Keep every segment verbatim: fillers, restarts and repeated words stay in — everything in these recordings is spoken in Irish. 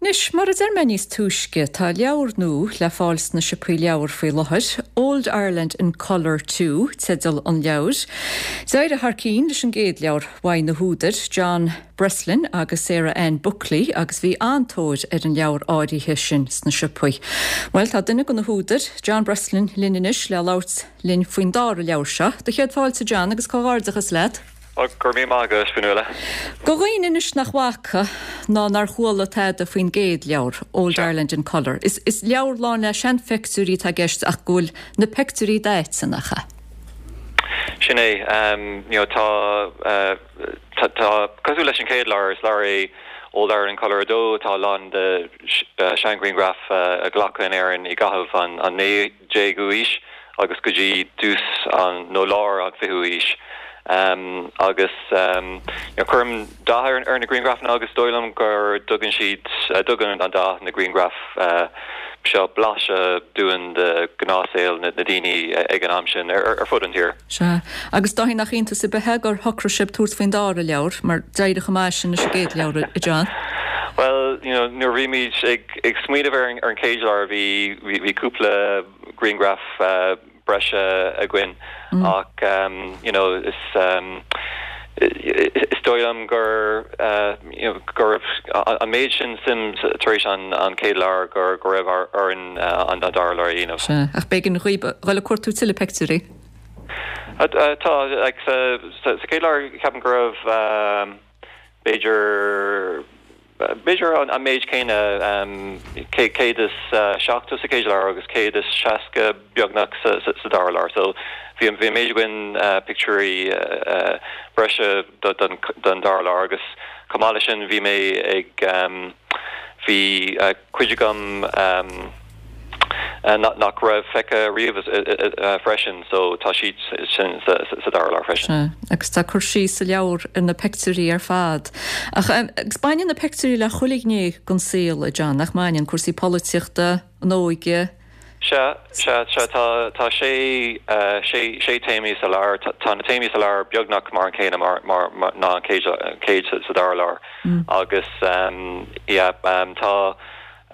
Anois, mar a deir mé níos túisce, tá leabhar nua le fáil sna siopaí leabhar faoi láthair, Old Ireland in Colour Two, teideal an leabhair. D'éirigh thar cinn leis an gcéad leabhar uaidh na húdair, John Breslin agus Sarah Ann Buckley agus bhí an-tóir ar an leabhar áirithe sin sna siopaí. Well tá duine de na húdair, John Breslin linn anois le labhairt linn faoin dara leabhar seo. Do chéad fáilte John agus comhghairdeachas leat. Go raibh míle maith agat Fionnuala. Do dhaoine anois nach bhfaca ná nár chuala tada faoin gcéad leabhar, Old Ireland in Colour. Is, is leabhar lán le seanphictiúirí atá i gceist ach go bhfuil na pictiúirí daite nach ea. Sin é um, you know, tá uh, tá, tá cosúil leis an chéad leabhar is leabhar é Old Ireland in Colour a dó tá lán de uh, seanghrianghraif uh, a glacadh in Éirinn i gcaitheamh an, an naoú déag aois agus go dtí dtús an nó lár an fichiú aois. Um, agus um, you know, cuirim dath ar, ar na grianghrafanna agus dóigh liom gur tugann siad uh, tugann an dath na grianghraf uh, seo blaiseadh dúinn de ghnáthshaol na, na daoine ag an am sin ar, ar, ar fud an tír. Sea agus dóigh nach iontas ar bith gur shocraigh sibh tabhairt faoin dara leabhar mar d'éirigh chomh maith sin leis an gcéad leabhar a John. Well, you know, nuair bhí muid ag, ag smaoineamh ar, ar an chéad leabhar bhí bhí, bhí cúpla grianghraf uh, breise againn mm. ach um, you know, is um, is dóigh liom gur uh, you know, gur an méid sin suim tar éis an an chéad leabhar gur go raibh orainn uh, an an dara leabhar a dhéanamh. Ach b'éigean dhaoibh dul ag cuartú tuilleadh pictiúirí. Tá like, sa, sa, sa chéad leabhar ceapaim go raibh um, b'fhéidir B'fhéidir an, an méid céanna um, céad is uh, seachtó sa chéad leabhar agus céad is seasca beagnach sa, sa, sa dara leabhar. So bhí bhí méid againn uh, pictiúirí uh, uh, breise don, don dara leabhar agus chomh maith leis sin bhí mé ag um, bhí uh, cuid agam um, uh, nach raibh feicthe riamh uh, freisin, so tá siad sin sa, sa, sa dara leabhar freisin. Agus tá cur síos sa leabhar ar na pictiúirí ar fad. Ach um, agus baineann na pictiúirí le chuile ghné den saol a John, nach mbaineann cúrsaí polaitíochta, an óige. Se se se tá tá sé uh, sé sé téamaí sa leabhar tá na téamaí sa leabhar beagnach mar an céanna mar mar ná an chéad sa dara leabhar mm. agus um, yeah, um, tá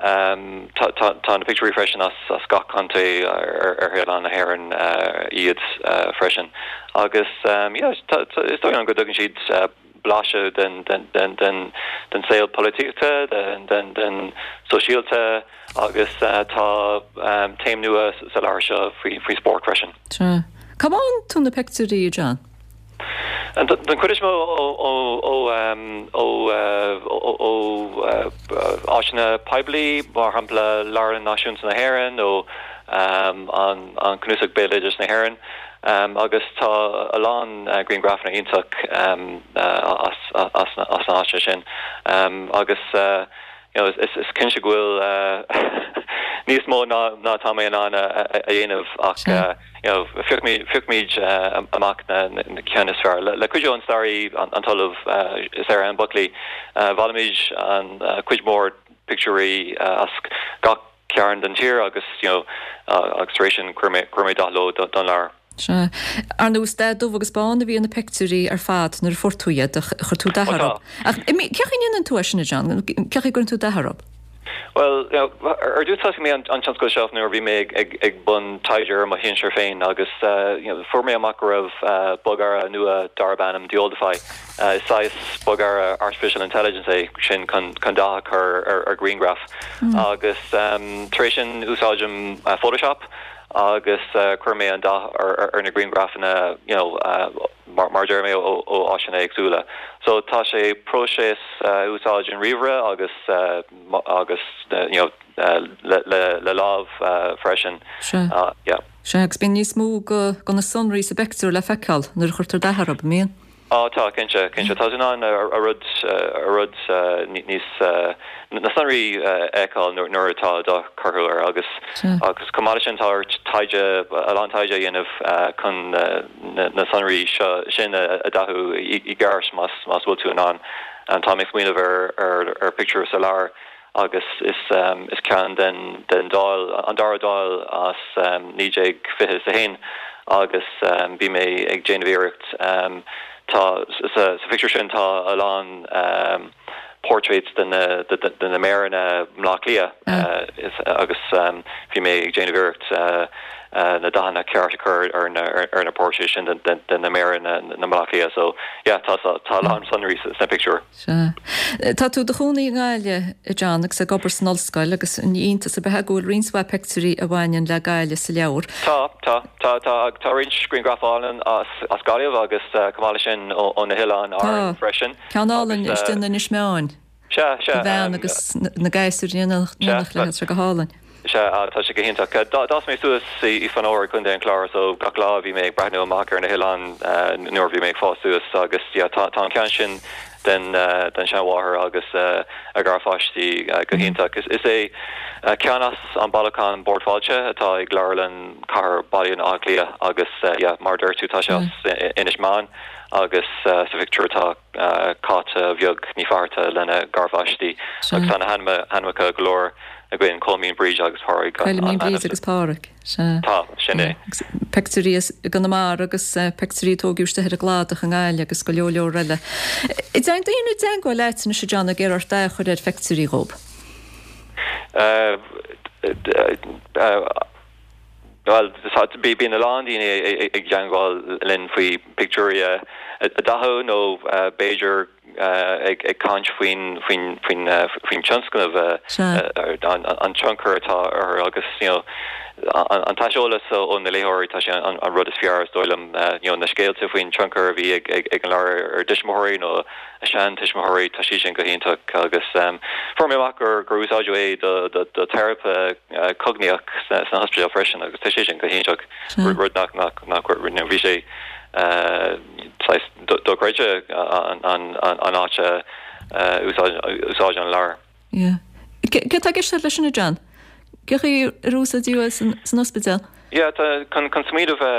Um, tá tá na pictiúirí freisin as as gach contae ar ar oileán na hÉireann uh, iad uh, freisin. Agus um, yeah, is dóigh liom go dtugann siad uh, blaiseadh den den den den den saol polaitíochta den den den sóisialta agus uh, tá um, téama nua sa leabhar seo faoi faoi spórt freisin. Cá bhfaigheann tú na pictiúirí John? Den chuid is mó ó ó ó áiteanna poiblí mar shampla Leabharlann Náisiúnta na hÉireann ó an an Cnuasach Béaloideas na hÉireann. Um, agus tá a lán uh, grianghrafanna iontach um, uh, as, as, as na háite sin um, agus uh, you know, is, is cinnte go bhfuil uh, níos mó ná ná tá mé in ann a dhéanamh ach uh, you know, phiocfaimid uh, amach na, na, na cinn is fearr. Le, le cuidiú an staraí an, an tOllamh uh, Sarah Ann Buckley uh, bhailigh muid an uh, cuid mór pictiúirí uh, as gach cearn den tír agus you know, uh, agus tar éis sin chuir mé dath leo don leabhar. Se ar nós de dubh agus bán a bhí na pictiúirí ar fad nuair a fuair tú iad chuir tú dath orthu. Ach cén chaoi a ndéanann tú sin John, cén chaoi a gcuireann tú dath orthu. Well you know, ar dtús thosaigh mé an, an tionscal seo nuair bhí mé ag, ag, ag bun taighde ar mo shinsir féin agus uh, you know, fuair mé amach go raibh uh, bogearra nua darb ainm DeOldify. Uh, saghas bogearra artificial intelligence é sin chun chun dath ar ar, ar grianghraf mm. agus um, tar éis sin úsáidim uh, Photoshop agus uh, chuir mé an dath ar, ar, ar na grianghrafanna you know, uh, mar, mar deir mé ó, ó áiteanna éagsúla. So tá sé próiseas uh, úsáid an ríomhaire agus uh, agus uh, you know, uh, le, le, le lámh uh, freisin. Uh, yeah. Se agus bíonn níos mó go, go na sonraí sa bpictiúr le feiceáil nuair a chuirtear dath orthu mbíonn. Á tá cinnte cinnte tá an a rud a rud níos na sonraí feiceáil nuair atá dath curtha air agus agus chomh maith sin tá taighde a lán taighde a dhéanamh chun na sonraí sin a dhathú i gceart más más bhfuil tú in ann an tá mé smaoineamh ar ar ar pictiúr sa leabhar agus is um, is ceann den den Dáil an dara Dáil as um, naoi déag fiche a haon agus um, bhí mé ag déanamh iarracht um, tá sa, sa pictiúr sin tá a lán um, portraits de na de na méaranna i mBleá Cliath agus bhí mé ag déanamh iarracht na dathanna ceart a chur ar na ar na portraits sin de na méaranna na mBleá Cliath so yeah tá tá lán sonraí sna pictiúir. Sea. Tá tú i do chónaí i nGaillimh a John agus ag obair san ollscoil agus ní iontas ar bith go bhfuil roinnt mhaith pictiúirí a bhaineann le Gaillimh sa leabhar. Tá tá tá tá tá roinnt grianghraf álainn as as Gaillimh agus chomh maith leis sin ó na hOileáin Árann freisin. Ceann álainn istigh in Inis Meáin. Sea sea. Bhean agus na gasúir in éineacht léi go hálainn. Sea tá sé go hiontach. D'fhás mé suas i Fanóir Contae an Chláir so gach lá bhí mé ag breathnú amach ar na hoileáin nuair bhí mé ag fás suas agus yeah tá tá an ceann sin den den seanmháthair agus a garpháistí go hiontach. Is é ceann as an bailiúchán Bord Fáilte atá ag Leabharlann Chathair Bhaile Átha Cliath agus yeah mar dúirt tú tá sé as Inis Meáin agus sa phictiúr tá Cáit bheag Ní Fátharta lena garpháistí agus tá na hainmneacha go leor againn Colmín Bríd agus Pádraig. Colmín Bríd agus Pádraig. Tá sin é. Pictiúirí i gConamara agus pictiúirí tógadh istigh ar an gcladach i nGaillimh agus go leor leor eile. An dtéann daoine i dteagmháil leat anois a John ag iarraidh ort dath a chur ar phictiúirí dhóibh. Bhuel bíonn a lán daoine ag teagmháil linn faoi pictiúirí a dhathú nó b'fhéidir ag caint faoin faoin faoin faoin tionscnamh an tionchar atá orthu agus you know an t-aiseolas ó na léitheoirí tá sé an rud is fearr is dóigh liom you know na scéalta faoin tionchar a bhí ag ag an leabhar ar a dtuismitheoirí nó a seantuismitheoirí tá sé sin go hiontach agus fuair mé amach gur gur úsáideadh é do do do teiripe cognaíoch sna hospidéil freisin agus tá sé sin go hiontach rud nach nach nach bhí sé saghas dochreidte an an an áit a úsáideadh an leabhar. Yeah. Céard atá i gceist leis sin a John? Cén chaoi ar úsáideadh é san ospidéal? Yeah, tá chun chun smaoineamh a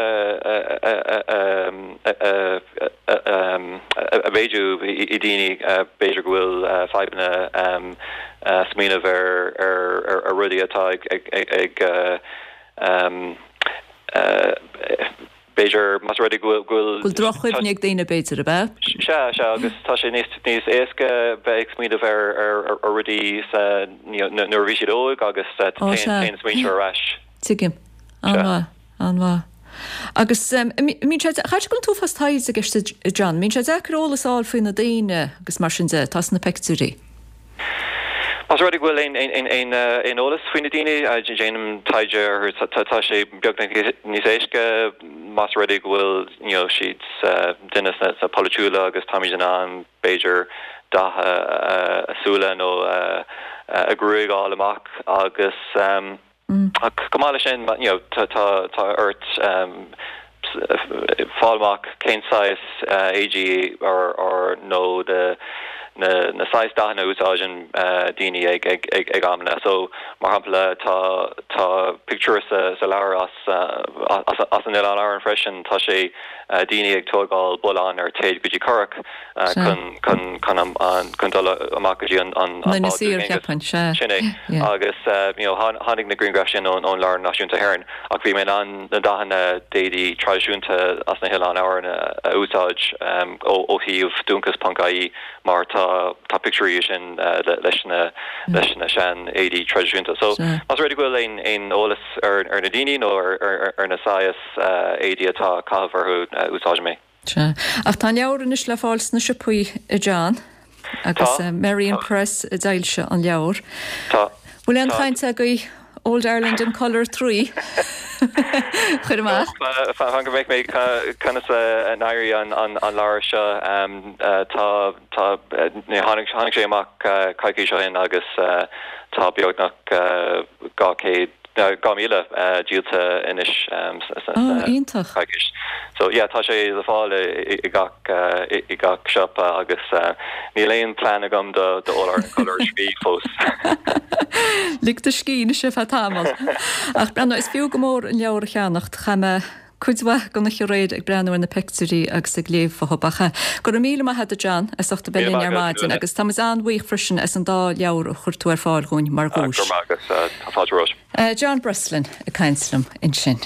a mhéadú i daoine b'fhéidir go bhfuil fadhbanna smaoineamh ar ar ar rudaí atá ag ag ag b'fhéidir más rud é go bhfuil go bhfuil Go bhfuil droch-chuimhne ag daoine b'fhéidir, ab ea? Sea, sea, agus tá sé níos níos éasca bheith ag smaoineamh ar ar ar rudaí sa nuair a bhí siad óg agus Ó sea. téann smaointe ar ais. Tuigim. Sea. An-mhaith, an-mhaith. Agus mbíonn sé, chaithfidh go bhfuil an t-uafás taighde i gceist a John, mbíonn sé deacair eolas a fháil faoi na daoine agus mar sin de atá sna pictiúirí? Más rud é go bhfuil aon eolas faoi na daoine, déanaim taighde orthu. Tá sé beagnach níos éasca más rud é go bhfuil you know siad duine sna polaitiúla agus táimid in ann b'fhéidir dath a súile nó a gruaig a fháil amach agus Ach chomh maith leis sin, you know, tá tá ort fáil amach cén saghas éadaí or or nó na na na saghas dathanna a úsáideann daoine ag ag ag ag amanna. So, mar shampla, tá tá pictiúr sa sa leabhar as as as an Oileán Árann freisin, tá sé daoine ag tógáil bullán ar téad go dtí curach chun chun chun an chun dul amach go dtí an an Na bád saoir cheapfainn, sea. Sin é. Agus you know tháinig na grianghraif sin ón ón Leabharlann Náisiúnta hÉireann ach bhí mé in ann na dathanna d'éadaí traidisiúnta as na hOileáin Árann a úsáid ó ó shuíomh dúnchas ponc ie mar tá tá pictiúirí sin leis na leis na sean éadaí traidisiúnta. So más rud é go bhfuil aon aon eolas ar ar na daoine nó ar ar ar na saghas éadaí atá á caitheamh orthu, úsáidim é. Sea. Ach tá an leabhar anois le fáil sna siopaí, a John, agus Tá. Merrion Press a d'fhoilsigh an leabhar. Tá. Bhfuil aon Tá. chaint agaibh Old Ireland in Colour Three a chur amach? Fan go bhfeicfidh mé conas a n-éireoidh an an leabhar seo. Tá tá tháinig tháinig sé amach coicís ó shin agus tá beagnach dhá chéad dhá míle díolta anois Oh, iontach. coicís. So yeah, tá sé le fáil i gach i gach siopa agus níl aon plean agam do do Old Ireland in Colour trí fós. Lig do scíth anois ar feadh tamaill. Ach breathnaigh, is fiú go mór an leabhar a cheannacht. Chaith mé cuid mhaith den oíche aréir ag breathnú ar na pictiúirí agus ag léamh fúthu. Ach go raibh míle maith agat a John as ucht a bheith Míle linn maith ar agat, maidin Nuala. agus tá muid an-bhuíoch freisin as an dá leabhar a chuir tú ar fáil dhúinn mar Go dhuais. raibh maith agat, tá fáilte romhat. John Breslin ag caint liom ansin.